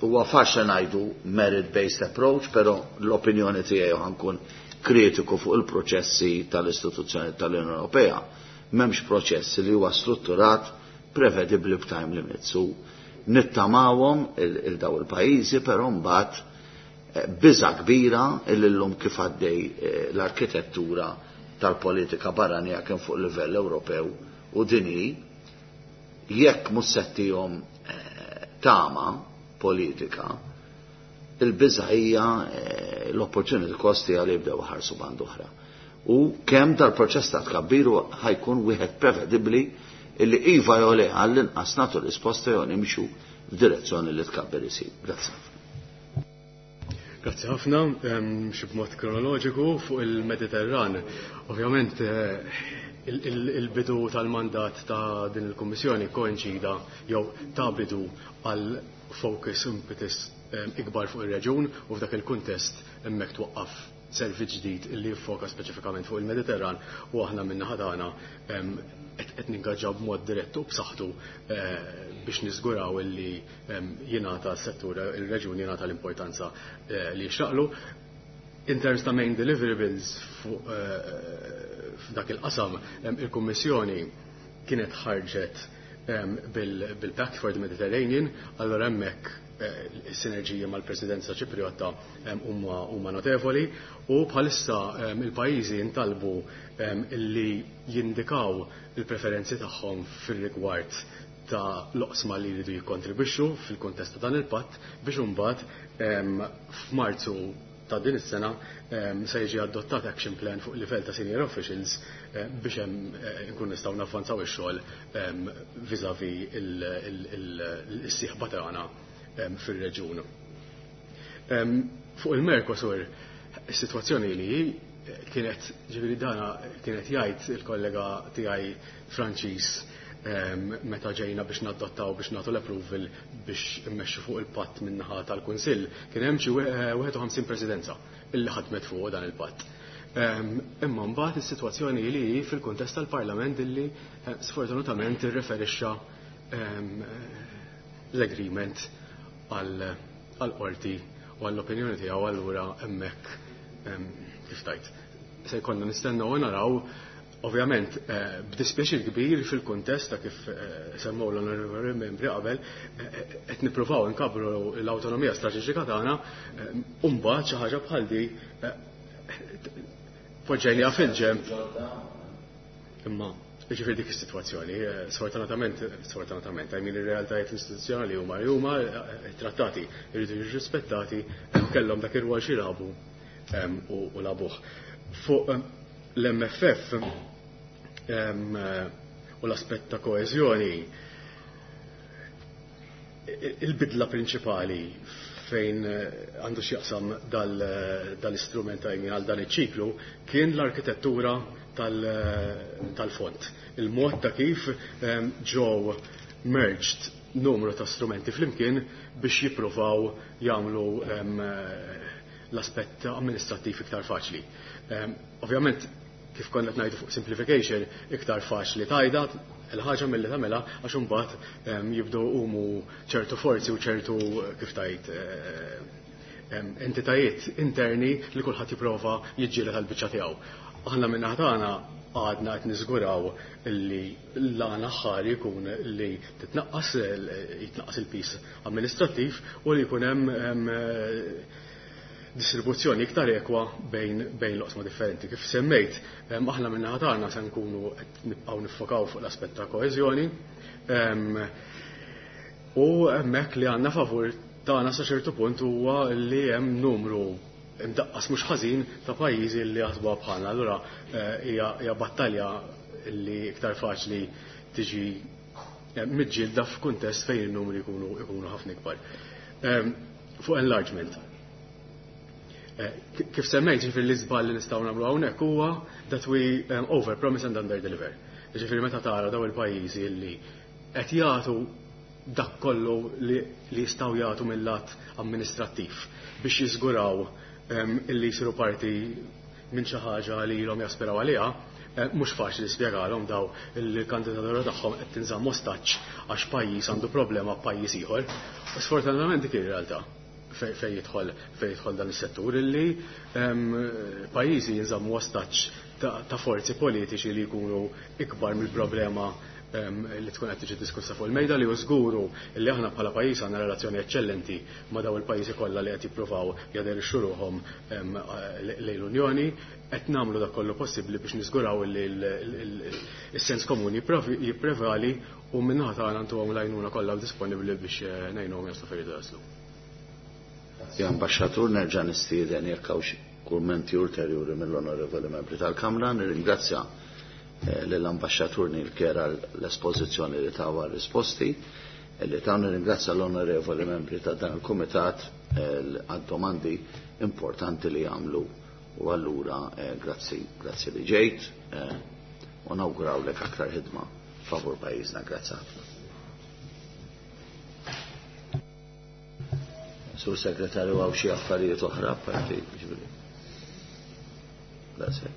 Huwa faċli ngħidu merit-based approach, però l-opinjoni tiegħi ħa nkun kritiku fuq il-proċessi tal-istituzzjoni tal-Unjoni Ewropea. M'hemmx proċess li huwa strutturat prevedibbli b'time limits. U nittamawhom il-daw il-pajjiżi, però mbagħad biża kbira illum kif għaddej l-arkitettura tal-politika barranija kemm fuq livell Ewropew u dinji, jekk mhux se ttihom tama politika, il-biża hija l-opportunity cost hija li jibdew ħarsu band oħra. U kemm dal-proċess ta' tkabbiru ħa jkun wieħed prevedibbli illi iva jew le għall-inqas nagħtu risposta jew nimxu f'direzzjoni li tkabbir isir. Grazzi. Grazzi ħafna, xi b'mod kronoloġiku fuq il-Mediterran. Ovvjament il-bidu tal-mandat ta' din il-Kummissjoni koinċida jew ta' bidu għal focus impetus ikbar fuq ir-reġun u f'dak il-kuntest hemmhekk twaqqaf servizz ġdid illi jiffoka speċifikament fuq il-Mediterran u aħna min-naħa tagħna qed ningaġġaw b'mod dirett u b'saħħtu biex niżguraw illi jingħata s-settur il-reġjun jingħata l-importanza li jixraqlu. In terms ta' main deliverables fuq f'dak il-qasam, il-Kummissjoni kienet ħarġet bil-Pact for the Mediterranean, allora hemmhekk is-sinerġija mal-Presidenza Ċipriotta huma notevoli u bħalissa il-pajjiżi jintalbu illi jindikaw il-preferenzi tagħhom fir-rigward ta' l-oqsma li jridu jikkontribwixxu fil-kuntest ta' dan il-patt biex imbagħad f'Marzu ta' din is-sena se jiġi adottat action plan fuq livell ta' senior officials biex hemm nkun nistgħu navvanzaw ix-xogħol vis-à-vis il-sieħba tagħna fir-reġjun. Fuq il-Mercosur, is-sitwazzjoni li kienet, ġifieri dana kienet jgħid il-kollega tiegħi Franċiż meta ġejna biex nadottaw biex nagħtu l-approval biex immexxu fuq il-patt min-naħa tal-Kunsill, kien hemm xi wieħed u ħamsin presidenza illi ħadmet fuq dan il-patt. Imma mbagħad is-sitwazzjoni li hi fil-kuntest tal-Parlament illi sfortunatament irreferixxa l-agreement għall-qorti u għall-opinjoni tiegħu, allura hemmhekk kif tajt. Se jkollna nistennew u naraw, ovvjament b'dispjaċir kbir fil-kuntest ta' kif semmew l-onorevoli membri qabel, qed nippruvaw inkabru l-awtonomija strateġika tagħna, u mbagħad xi ħaġa bħal di poġġejniha fil-ġenb. Imma jiġifieri dik is-sitwazzjoni, sfortunatament, sfortunatament, I mean ir-realtajiet istituzzjonali huma li huma, trattati jridu jiġu rispettati, kellhom dak ir-rwol xi labu u labuh. Fuq l-M F F u l-aspett ta' koeżjoni, il-bidla prinċipali fejn għandu x'jaqsam dal-istrument għal dan iċ-ċiklu kien l-arkitettura tal-fond. Il-mod ta' kif ġew merged numru ta' strumenti flimkien biex jippruvaw jagħmlu l-aspett amministrattiv iktar faċli. Ovvjament, kif konna qed ngħidu fuq simplification, iktar faċli tajda il-ħaġa milli tagħmilha għax imbagħad jibdew umu ċertu forzi u ċertu kif tajt entitajiet interni li kulħadd jipprova jiġġieled għall-biċċa tiegħu. Aħna minn tagħna għadna qed niżguraw li l-għana ħari jkun li titnaqqas jitnaqqas il-pis amministrattiv u li jkun hemm distribuzzjoni iktar ekwa bejn bejn l-oqsma differenti. Kif semmejt, aħna minn tagħna se nkunu qed nibqgħu niffokaw fuq l-aspett ta' koeżjoni. U hemmhekk li għandna favur tagħna sa ċertu punt huwa li hemm numru imdaqqas mhux ħażin ta' pajjiżi li jaħsbuha bħalna. Allura hija battalja li iktar faċli tiġi miġġielda f'kuntest fejn in-numri jkunu jkunu ħafna ikbar. Fuq enlargement. Kif semmejt, ġifieri l-iżball li nistgħu nagħmlu hawnhekk huwa that we over promise and under deliver. Ġifieri meta tara daw il-pajjiżi li qed jagħtu dak kollu li jistgħu jagħtu mill-lat amministrattiv biex jiżguraw illi jsiru parti minn xi ħaġa li ilhom jaspiraw għaliha, mhux faċli spjegalhom daw il-kandidatura tagħhom qed tinżamm ostaġġ għax pajjiż għandu problema b'pajjiż ieħor. Sfortunatament dik ir-realtà fejn jidħol fejn jidħol dan is-settur illi pajjiżi jinżammu ostaġġ ta' forzi politiċi li jkunu ikbar mill-problema li tkun qed tiġi diskussa fuq il-mejda, li żguru li aħna bħala pajjiż għandna relazzjoni eċċellenti ma' daw il-pajjiżi kollha li qed jippruvaw jaderixxu ruħhom lejn l-Unjoni, qed nagħmlu dak kollu possibbli biex niżguraw li s-sens komuni jipprevali u min-naħa tagħna ntuhom l-għajnuna kollha disponibbli biex ngħinuhom jaslu fejn jridu jaslu. Ja, Ambaxxatur, nerġa' nistieden jekk hawn xi kummenti ulterjuri mill-onorevoli membri tal-Kamra, nirringrazzja l-ambasċatur Neil Kerr l-espożizzjoni li tawa risposti li ta' nirringrazzja l-onorevoli membri ta' dan il-kumitat għad-domandi importanti li għamlu u allura grazzi, grazzi li ġejt u nawgurawlek aktar ħidma favur pajjiżna. Grazzi ħafna. Sur Segretarju, għaw xi affarijiet oħra apparti ġifieri. Grazie.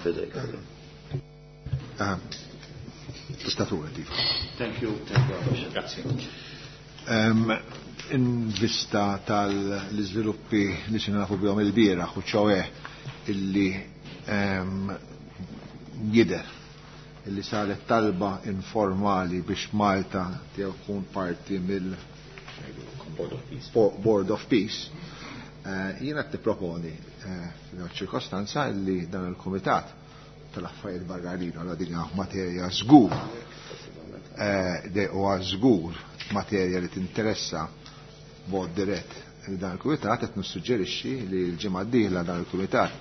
Fidejk. Tista' tura. Thank you, thank you. Grazie. In vista tal-iżviluppi li sirna nafu bihom il-bieraħ u ċoè illi jidher illi saret talba informali biex Malta tkun parti mill Board of Peace, jiena qed nipproponi f'ċirkostanza li dan il-Kumitat tal-Affarijiet Barranin għal din materja żgur huwa żgur materja li tinteressa b'mod dirett li dan il-Kumitat qed nissuġġerixxi li l-ġimgħa d-dieħla dan il-Kumitat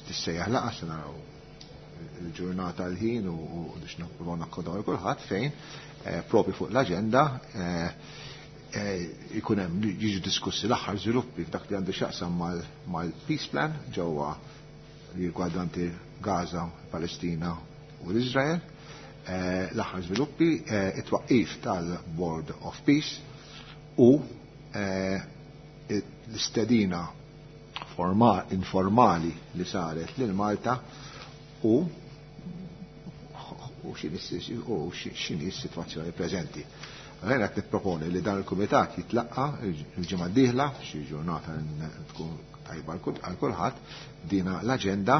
tissejjaħ laqgħa se naraw il-ġurnata l-ħin u biex nippruvaw nakkodaw lil kulħadd fejn propju fuq l-aġenda ikun hemm jiġu diskussi l-aħħar żviluppi f'dak li għandu x'jaqsam mal-peace plan ġewwa li rigwardanti Gaza, Palestina u l-Iżrael, l-aħħar żviluppi, it-twaqqif tal-Board of Peace u l-istedina informali li saret lil Malta u u x'inhi s-sitwazzjoni preżenti. Għalhekk qed nipproponi li dan il-kumitat jitlaqqa il-ġimgħa d-dieħla, xi ġurnata tkun tajba għal kulħadd, dina l-aġenda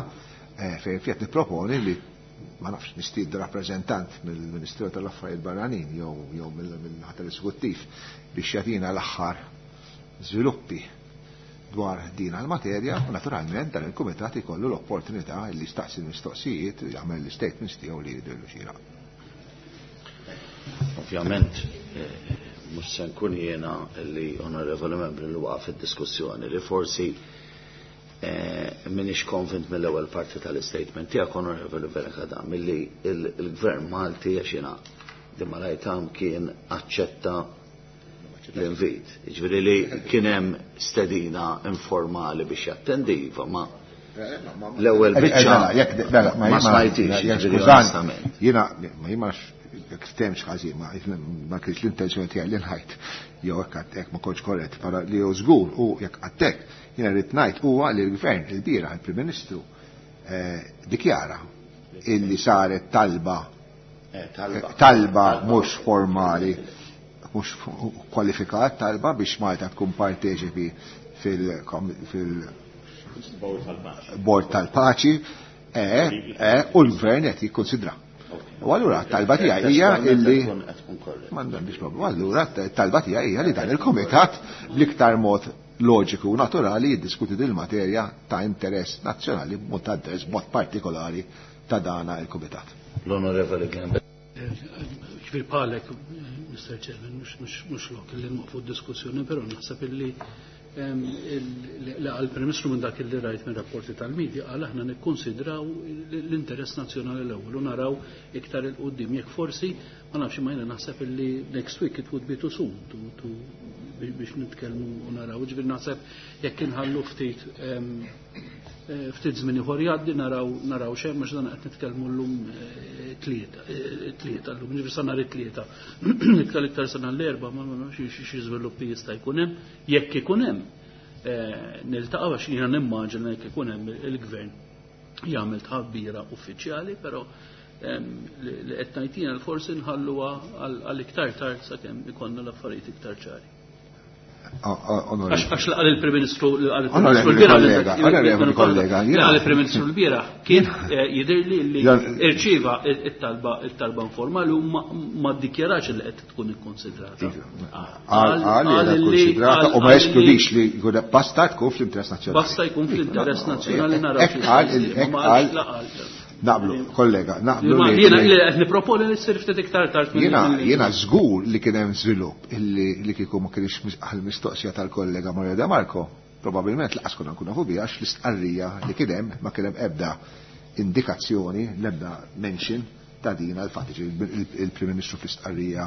fejn qed nipproponi li ma nafx nistiednu rappreżentant mill-Ministeru tal-Affarijiet Barranin jew jew mill-ħadd tal-Eżekuttiv biex jagħtina l-aħħar żviluppi dwar din l-materja u naturalment dan il-kumitat ikollu l-opportunità li jistaqsi l-mistoqsijiet u jagħmel l-statements tiegħu li jidhirlu xieraq. Ovvjament, mhux se nkun jiena li onorevoli membri li waqaf id-diskussjoni li forsi m'iniex konvint mill-ewwel parti tal-istatement tiegħek, onorevoli Fenech Adami, milli il-Gvern Malti għax jiena di kien aċċetta l-invit. Ġifieri li kien hemm stedina informali biex jattendi, iva, ma l-ewwel biċċa ma smajtix, ġifieri onestament. Jiena ma jiena jekk ftemx ħażin, ma ma kienx l-intenzjoni tiegħi li nħajt jew hekk hekk ma kontx korrett, para li hu żgur u jekk għattek jiena rrid ngħid huwa li l-Gvern il-bieraħ il-Prim Ministru dikjara illi saret talba talba mhux formali, mhux kwalifikat talba biex Malta tkun parteċipi fil Bord tal-Paċi u l-Gvern qed jikkonsidra. U allura t-talba tiegħi hija illi m'għandix problema. Allura t-talba tiegħi hija li dan il-kumitat bl-iktar mod loġiku u naturali jiddiskuti din il-materja ta' interess nazzjonali b'mod ta' interess b'mod partikolari ta' dana il-kumitat. L-Onorevoli Glenn. Ġifieri bħalek, Mister Chairman, mhux lok li nwaqfu d-diskussjoni, però naħseb illi Li għal-Prim Ministru, minn dak li rajt minn rapporti tal-medja, qal aħna nikkonsidraw l-interess nazzjonali l-ewwel u naraw iktar 'il quddiem. Jekk forsi, ma nafx, ma jiena naħseb illi next week it would be too soon to, to biex nitkellmu u naraw. Ġifieri naħseb jekk inħallu ftit ftit żmien ieħor jgħaddi, naraw naraw xejn, mhux dan qed nitkellmu llum tlieta tlieta llum, ġifieri sa nhar it-Tlieta. Iktar iktar sa nhar l-Erbgħa ma nafx xi żviluppi jista' jkun hemm, jekk ikun hemm niltaqgħu, għax jiena nimmaġina jekk ikun hemm il-gvern jagħmel tħabbira uffiċjali, però li qed ngħid forsi nħalluha għal iktar tard sakemm ikollna l-affarijiet iktar ċari. Għax qal il-Prim Ministru Onorevoli kollega, qal il-Prim Ministru l-bieraħ kien jidher li li irċieva it-talba it-talba informali u ma ddikjarax li qed tkun ikkonsidrata. Qal li ikkonsidrata u ma jeskludix li basta tkun fl-interess nazzjonali. Basta jkun fl-interess nazzjonali, naraw. Hekk qal. Naqblu, kollega, naqblu. Jiena li qed niproponi li ssir ftit iktar tard. Jiena jiena żgur li kien hemm żvilupp illi li kieku ma kienx għall-mistoqsija tal-kollega Mario De Marco, probabbilment lanqas konna nkunu nafu biha, għax l-istqarrija li kien hemm ma kien hemm ebda indikazzjoni, l-ebda mention ta' din għal-fatt. Il-Prim Ministru fl-istqarrija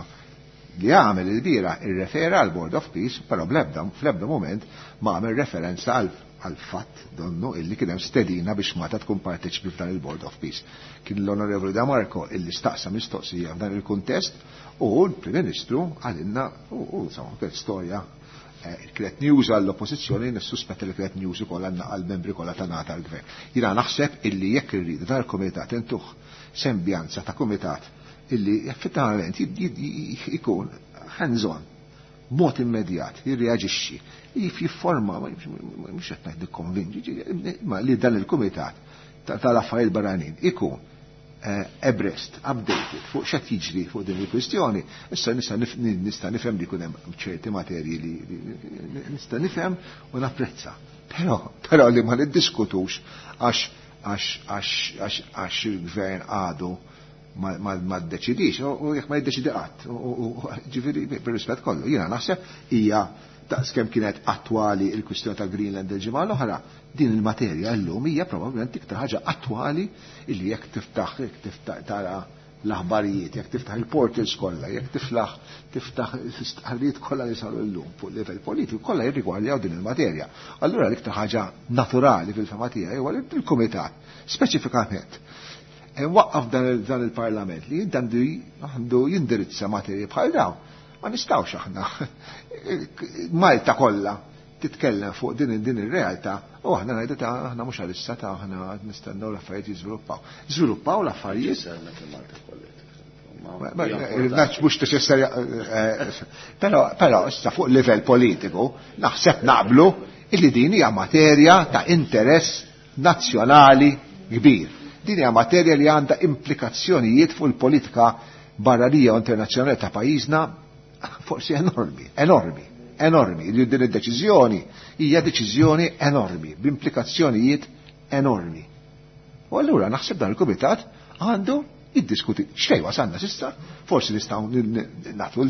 li għamel il-bieraħ irrefera għal Board of Peace, però bl-ebda fl-ebda moment ma għamel referenza għal għal fatt donnu illi kien hemm stedina biex Malta tkun parteċipi f'dan il-Board of Peace. Kien l-Onorevoli Da Marco illi staqsa mistoqsija f'dan il-kuntest u l-Prim Ministru qalilna u insomma kienet storja, kienet news għall-oppożizzjoni, nissuspetta li kienet news ukoll għall-membri kollha ta' nata l-gvern. Jiena naħseb illi jekk irridu dan il-kumitat intuh sembjanza ta' kumitat illi effettivament ikun hands-on, mod immedjat, jirreaġixxi, jifforma, mhux qed ngħid nikkonvinġi, ma li dan il-kumitat tal-affarijiet barranin ikun abreast, updated fuq x'qed jiġri fuq din il-kwistjoni. Issa nista' nista' nifhem li jkun hemm ċerti materji li nista' nifhem u napprezza. Però però li ma niddiskutux għax għax għax għax għax il-gvern għadu ma ma ddeċidix u jekk ma jiddeċidi qatt. Ġifieri, bir-rispett kollu, jiena naħseb hija daqskemm kienet attwali il-kwistjoni ta' Greenland il-ġimgħa l-oħra, din il-materja llum hija probabbilment iktar ħaġa attwali illi jekk tiftaħ jekk tiftaħ tara l-aħbarijiet, jekk tiftaħ il-portals kollha, jekk tiflaħ tiftaħ l-istqarrijiet kollha li saru llum fuq livell politiku, kollha jirrigwardjaw din il-materja. Allura l-iktar ħaġa naturali fil-fehma tiegħi huwa li il-kumitat speċifikament waqqaf dan il-parlament li għandu jindirizza materji bħal dawn. Ma nistgħux aħna Malta kollha titkellem fuq din din ir-realtà u aħna ngħidu ta' aħna mhux għalissa, ta' aħna nistennew l-affarijiet jiżviluppaw. Żviluppaw l-affarijiet. Mhux neċessarja, però però issa fuq livell politiku naħseb naqblu illi din hija materja ta' interess nazzjonali kbir. Din hija materja li għandha implikazzjonijiet fuq il-politika barranija u internazzjonali ta' pajjiżna forsi enormi, enormi, enormi. Li din id-deċiżjoni hija deċiżjoni enormi, b'implikazzjonijiet enormi. U allura naħseb dan il-kumitat għandu jiddiskuti xejn wasalna s'issa, forsi nistgħu nagħtu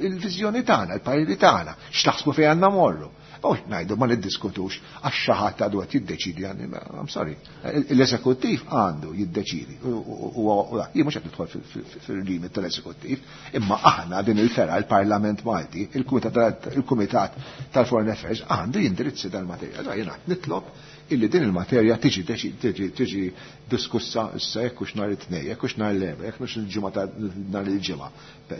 il-viżjoni tagħna, il-pariri tagħna, x'taħsbu fejn għandna morru. U ngħidu ma niddiskutux għax xi ħadd għadu qed jiddeċidi għandi, I'm sorry. L-eżekuttiv għandu jiddeċidi. U jien mhux qed nidħol fil-limit tal-eżekuttiv, imma aħna din il-fergħa, il-Parlament Malti, il-Kumitat tal-Foreign Affairs għandu jindirizzi dal-materja. Jiena nitlob illi din il-materja tiġi tiġi diskussa issa, jekk hux nhar it-Tnejn, jekk hux nhar l-Erbgħa, jekk hux il-ġimgħa ta' nhar il-Ġimgħa.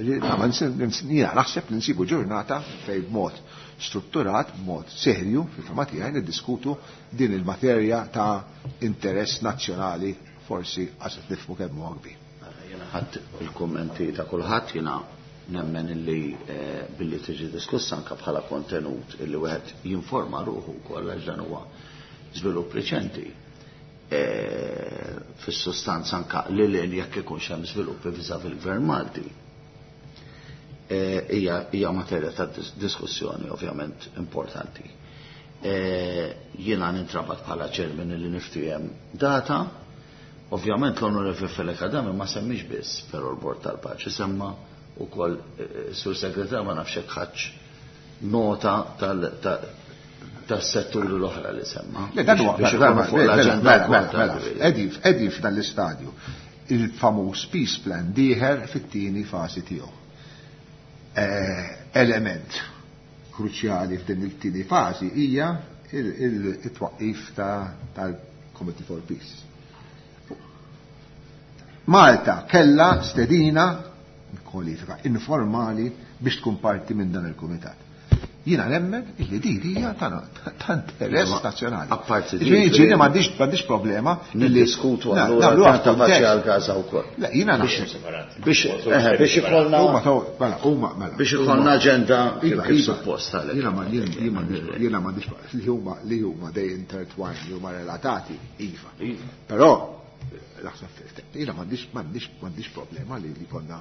Jiena naħseb li nsibu ġurnata fejn b'mod strutturat, b'mod serju, fil-fehma tiegħi niddiskutu din il-materja ta' interess nazzjonali, forsi għax nifhmu kemm huwa kbir. Jiena ħadd il-kummenti ta' kulħadd, jiena nemmen illi billi tiġi diskussa anke bħala kontenut illi wieħed jinforma ruħu wkoll, għax dan huwa żvilupp reċenti. Fis-sustanza anke li lil jekk ikunx hemm żviluppi viżavi il-Gvern Malti. Hija materja ta' diskussjoni ovvjament importanti. Jiena nintrabat bħala chairman li niftiehem data. Ovvjament l-Onorevoli Fenech Adami ma semmix biss però l-Bord tal-Paċi, semma wkoll, Sur Segretar, ma nafx hekk ħadx nota tal tas-setturi l-oħra li semma. Le, dan huwa Biex ikunu fuq l-aġenda mela, wkoll mela, mela. tal- Qegħdin qegħdin f'dan l-istadju. Il-famuż peace plan dieħel fit-tieni fażi tiegħu. Eh, Element kruċjali f'din il-tieni fażi hija il-twaqqif ta' tal-Committee for Peace. Malta kella stedina kwalifika informali biex tkun parti minn dan il-kumitat. Jiena nemmen illi din hija ta' ta' interess Ma- nazzjonali. apparti di- Ġifieri ġifieri m'għandix m'għandix problema illi Niddiskutu Na, allura nagħmluha ta' paċi f'kuntest. għal Gaza wkoll. Le, jiena naħseb. Biex eh, biex ikollna Huma taw- mela, huma mela. biex ikollna aġenda kif Iva, kif iva. suppost għalhekk. Jiena ma jien- jien m'għandix jiena m'għandix li huma li huma they intertwine, li huma relatati, iva. Però naħseb jiena m'għandix m'għandix m'għandix problema li li konna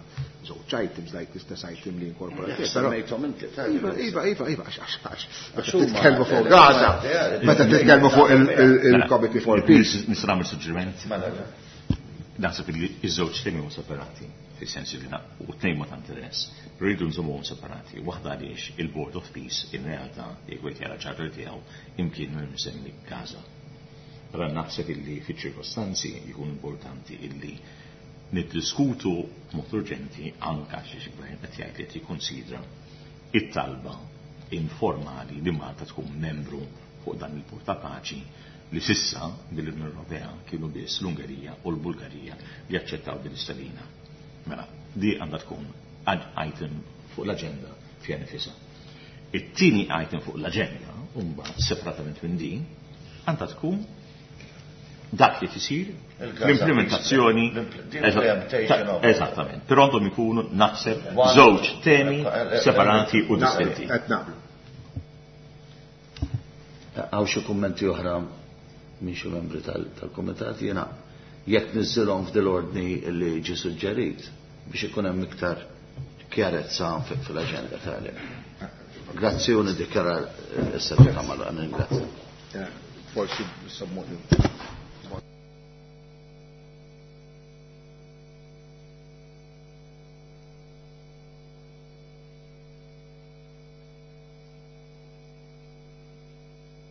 żewġ items like l-istess item li inkorporati. Però Semmejthom inti, ta' Iva, iva, iva, iva, għax, għax, għax, Għax meta titkellmu huma- fuq Gaza, meta titkellmu fuq il- il- il-Committee for Peace. Nista' nagħmel suġġeriment? Mela, Naħseb li iż-żewġ temi huma separati, fis-sens li na- u tnejn ma ta' interess, però rridu nżommuhom separati. Waħda għaliex il-Board of Peace in realtà jekk wieħed jara charter tiegħu imkien ma msemmi Gaza. Allora naħseb illi fiċ-ċirkostanzi jkun importanti illi niddiskutu b'mod urġenti anka xi gvern qed jgħid li qed jikkonsidra it-talba informali li Malta tkun membru fuq dan il-Bord ta' Paċi li sissa mill-Unjoni Ewropea kienu biss l-Ungerija u l-Bulgarija li aċċettaw din l-istedina. Mela, di għandha tkun ad item fuq l-aġenda fiha nifisha. It-tieni item fuq l-aġenda, mbagħad separatament minn din, għandha tkun dak li tisir Il-Gaza l-implementazzjoni L-implementation of- Eżattament, però għandhom ikunu naħseb One- żewġ temi Eh, eh, separati u distinti. Qed naqblu. Hawn xi kummenti oħra minn xi membri tal- tal-kumitat jiena jekk niżżilhom f'dil-ordni li ġi suġġerit biex ikun hemm iktar kjarezza fi- fil-aġenda tal Grazzi u niddikjara s-seduta magħluqa, ningrazzja. Eh, Forsi sommu